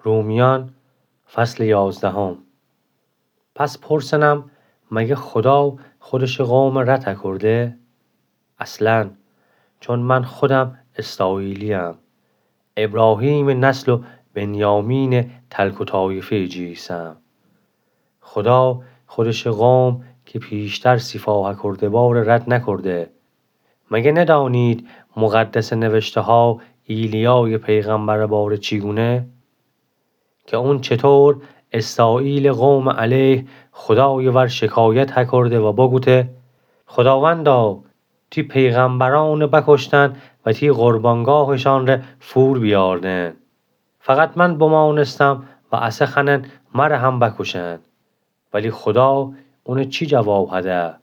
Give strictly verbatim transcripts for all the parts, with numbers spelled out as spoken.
رومیان، فصل یازدهم. پس پرسنم، مگه خدا خودشٚ قومَ رد هکرده؟ اصلاً، چون من خودم اسرائیلی‌یم، ابراهیمٚ نسل و بنیامینٚ تلک و طایفه‌یٚ جی ایسم. خدا خودشٚ قوم که پیشتر صفا هکرده باره رد نکرده. مگه ندانید مقدسٚ نوشته‌ها ایلیایٚ پیغمبرٚ باره چی گونه؟ که اون چطور اسرائیلٚ قومٚ علیه خودایٚ ور شکایت هکرده و بگوته: خداوندا، تی پیغمبرأنَ بکشتن و تی قربانگاهشانٚ ره فور بیاردن. فقط من بمانستم و اسه خوأنن مره هم بکشن. ولی خدا اونَ چی جواب هده؟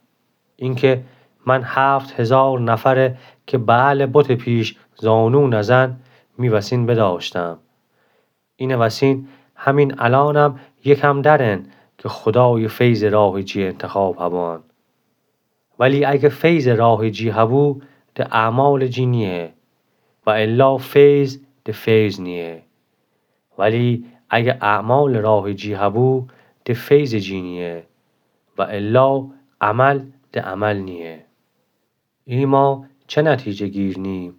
اینکه من هفت هزار نفرَ که بعلٚ بتٚ پیش زانو نزن، می وسین بداشتم. اینٚ وسین همین الأنم یکم درن که خدایٚ فیضٚ راهٚ جی انتخاب هبان. ولی اگه فیضٚ راهٚ جی هبو، ده اعمالٚ جی نییه، و الا فیض ده فیض نییه. ولی اگه اعمالٚ راهٚ جی هبو، ده فیضٚ جی نییه، و الا عمل ده عمل نییه. ایما چه نتیجه گیر نیم؟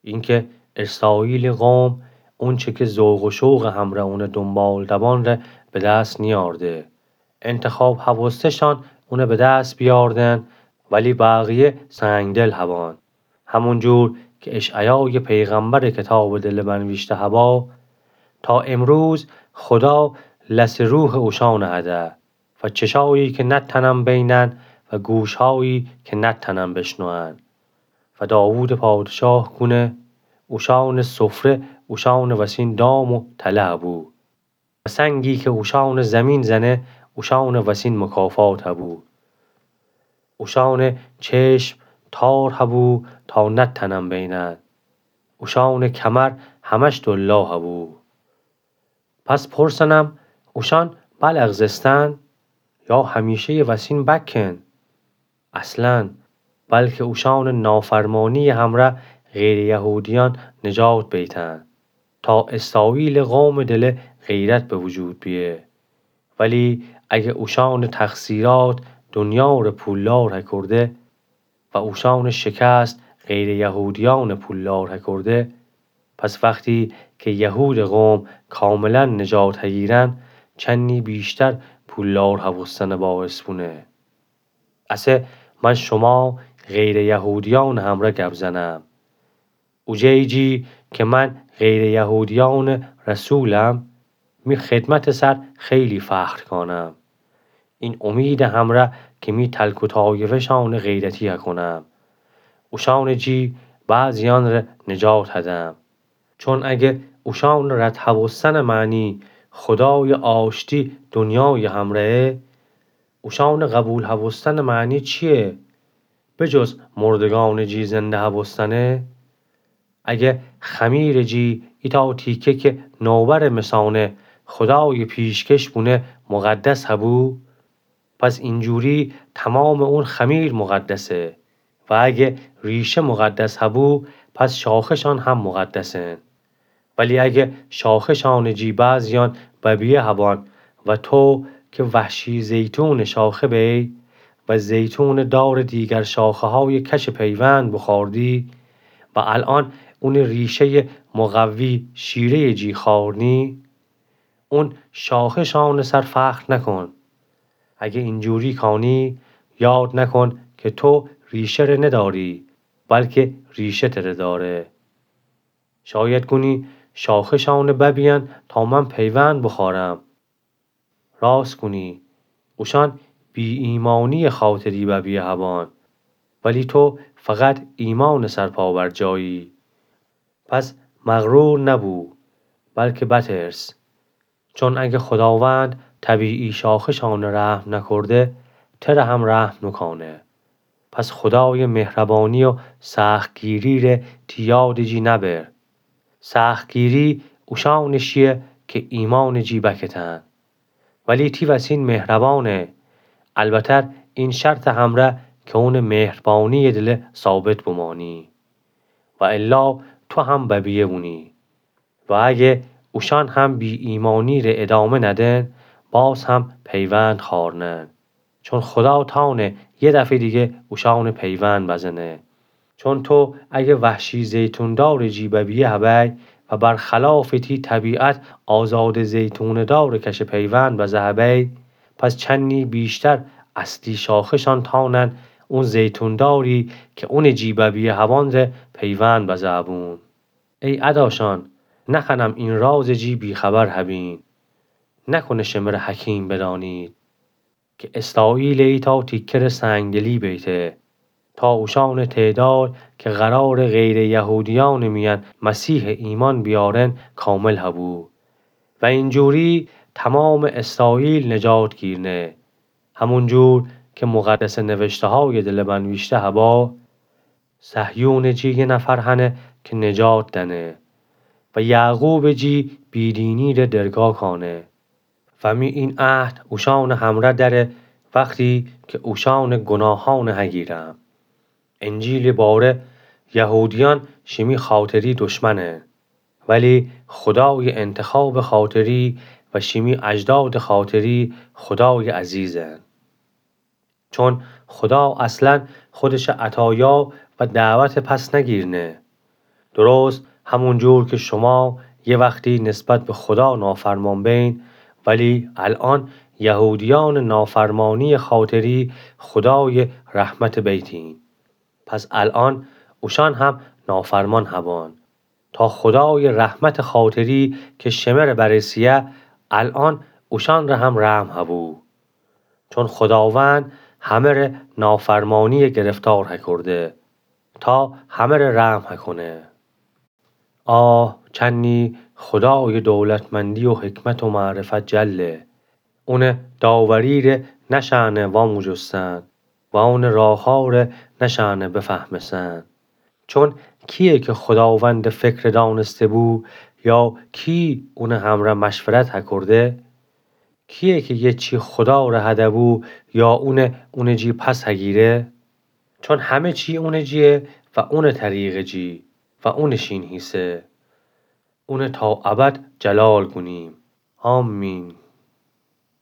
اینکه اسرائیلٚ قوم اونچه که ذوق و شوقٚ همرأ اونٚ دونبال دبان ره به دس نیارده. انتخاب هوسته‌شان اونَ به دس بیاردن، ولی بقیه سنگدل هبان. همونجور که اشعیایٚ پیغمبرٚ کتابٚ دلٚ بنویشته هبا، تا امروز خدا لسٚ روحٚ اوشانَ هده و چشایی که نتأنن بینن و گوشهایی که نتأنن بشنوئن. و داوودٚ پادشاه گونه اوشانٚ سفره اوشانٚ وسین دام و تله هبو. و سنگی که اوشانٚ زمین زنه، اوشانٚ وسین مکافات هبو. اوشانٚ چشم تار هبو تا نتأنن بینن. اوشانٚ کمر همش دلا هبو. پس پرسنم، اوشان بلغزستن یا همیشه‌یٚ وسین بکن؟ اصلاً، بلکه اوشانٚ نافرمانی‌یٚ همرأ غیرٚ یهودیأن نجات بیتن، تا اسرائیلٚ قومٚ دله غیرت به وجود بیه. ولی اگه اوشانٚ تقصیرات دنیا ره پولدار هکرده و اوشانٚ شکست غیرٚ یهودیأن پولدار هکرده، پس وقتی که یهودٚ قوم کاملاً نجات هییرن، چنی بیشتر پولدار هوستنٚ باعث بونه. اسه من شما غیرٚ یهودیأنٚ همرأ گب زنم. اوجه‌یی جی که من غیرٚ یهودیأنٚ رسولم، می خدمتٚ سر خیلی فخر کانم. این امیدٚ همرأ که می تلک و طایفه‌شانٚ غیرتی هکونم. اوشانٚ جی بعضیأن ره نجات هدم. چون اگه اوشانٚ رد هوستنٚ معنی خدایٚ آشتی دنیایٚ همرأیه، اوشانٚ قبول هوستنٚ معنی چیه؟ به جز مردگانٚ جی زنده هوستنه؟ اگه خمیرٚ جی ایتأ تیکه که نوبرٚ مسانه خدایٚ پیشکش بونه مقدس هبو، پس اینجوری تمامٚ اون خمیر مقدسه. و اگه ریشه مقدس هبو، پس شاخه‌شان هم مقدسن. ولی اگه شاخه‌شانٚ جی بعضیأن ببیه هبان و تو که وحشی زیتونٚ شاخه بی و زیتونٚ دارٚ دیگر شاخه‌هایٚ کشٚ پیوند بخوأردی و الأن اونٚ ریشه‌یٚ مقوی شیره‌یٚ جی خوأرنی، اون شاخه‌شانٚ سر فخر نکن. اگه اینجوری کانی، یاد نکن که تو ریشه ره نداری، بلکه ریشه تره داره. شاید گونی شاخه‌شانٚ ببیأن تا من پیوند بخوأرم. راست گونی، اوشأن بی‌ایمأنی‌یٚ خاطری ببیه هبان، ولی تو فقط ایمأنٚ سر پابرجایی. پس مغرور نبو، بلکه بترس. چون اگه خداوند طبیعی شاخه‌شانٚ رحم نکرده، تره هم رحم نوکانه. پس خدایٚ مهربانی و سختگیری ره تی یادٚ جی نبر. سختگیری اوشأنٚ شیه که ایمأنٚ جی بکتن. ولی تی وسین مهربانه، البتر این شرطٚ همرأ که اونٚ مهربانی‌یٚ دله ثابت بمانی. و الا تو هم ببیه بونی. و اگه اوشأن هم بی‌ایمأنی ره ادامه ندن، باز هم پیوند خوأرنن. چون خودا تأنه یه دفعه دیگه اوشأنه پیوند بزنه. چون تو اگه وحشی زیتوندارٚ جی ببیه هبی و برخلاف تی طبیعت آزادٚ زیتونٚ دارٚ کشه پیوند بزه هبی، پس چنی بیشتر اصلی شاخه‌شأن تأنن اون زیتونداری که اونٚ جی ببیه هبان ره پیوند بزه هبون. ای اداشأن، نخوأنم این رازٚ جی بی‌خبر هبین. نکنه شمره حکیم بدأنید که اسرائیلٚ ایتأ تیکه ره سنگدلی بیته، تا اوشأنٚ تعداد که قراره غیرٚ یهودیأنٚ میأن مسیحٚ ایمأن بیارن کامل هبو و اینجوری تومامٚ اسرائیل نجات گیرنه. همونجور که مقدسٚ نوشته‌هایٚ دلبنویشته هبا، صهیونٚ جی یه نفر هنه که نجات دأنه و یعقوبٚ جی بیدینی ره درگا کأنه. و می این عهد اوشأنٚ همرأ دأره وختی که اوشأنٚ گناهأنه هگیرم. انجیلٚ باره یهودیأن شیمی خاطری دشمنن، ولی خودایٚ انتخابٚ خاطری و شیمی اجدادٚ خاطری خودایٚ عزیزن. چون خودا اصلاً خودشٚ عطایا و دعوت پس نگیرنه. درست همونجور که شما یه وختی نسبت به خودا نافرمان بین، ولی الأن یهودیأنٚ نافرمانیٚ خاطری خودایٚ رحمت بیتین. پس الأن اوشأن هم نافرمان هبان، تا خودایٚ رحمتٚ خاطری که شمره برسه‌یه، الأن اوشأن ره هم رحم هبو. چون خوداوند همه ره نافرمانیٚ گرفتار هکرده، تا همه ره رحم هکونه. آه، چنی خودایٚ دولتمندی و حکمت و معرفت جله! اونٚ داوری ره نشأنه واموجستن و اونٚ راهها ره نشأنه بفهمسن. چون کییه که خوداوندٚ فکر دأنسته‌بو، یا کی اونٚ همرأ مشورت هکرده؟ کییه که یه چی خودا ره هده‌بو، یا اونه اونٚ جی پس هگیره؟ چون همه چی اونٚ جییه و اونٚ طریقٚ جی و اونٚ شین هیسه. اونه تا ابد جلال گونیم. آمین.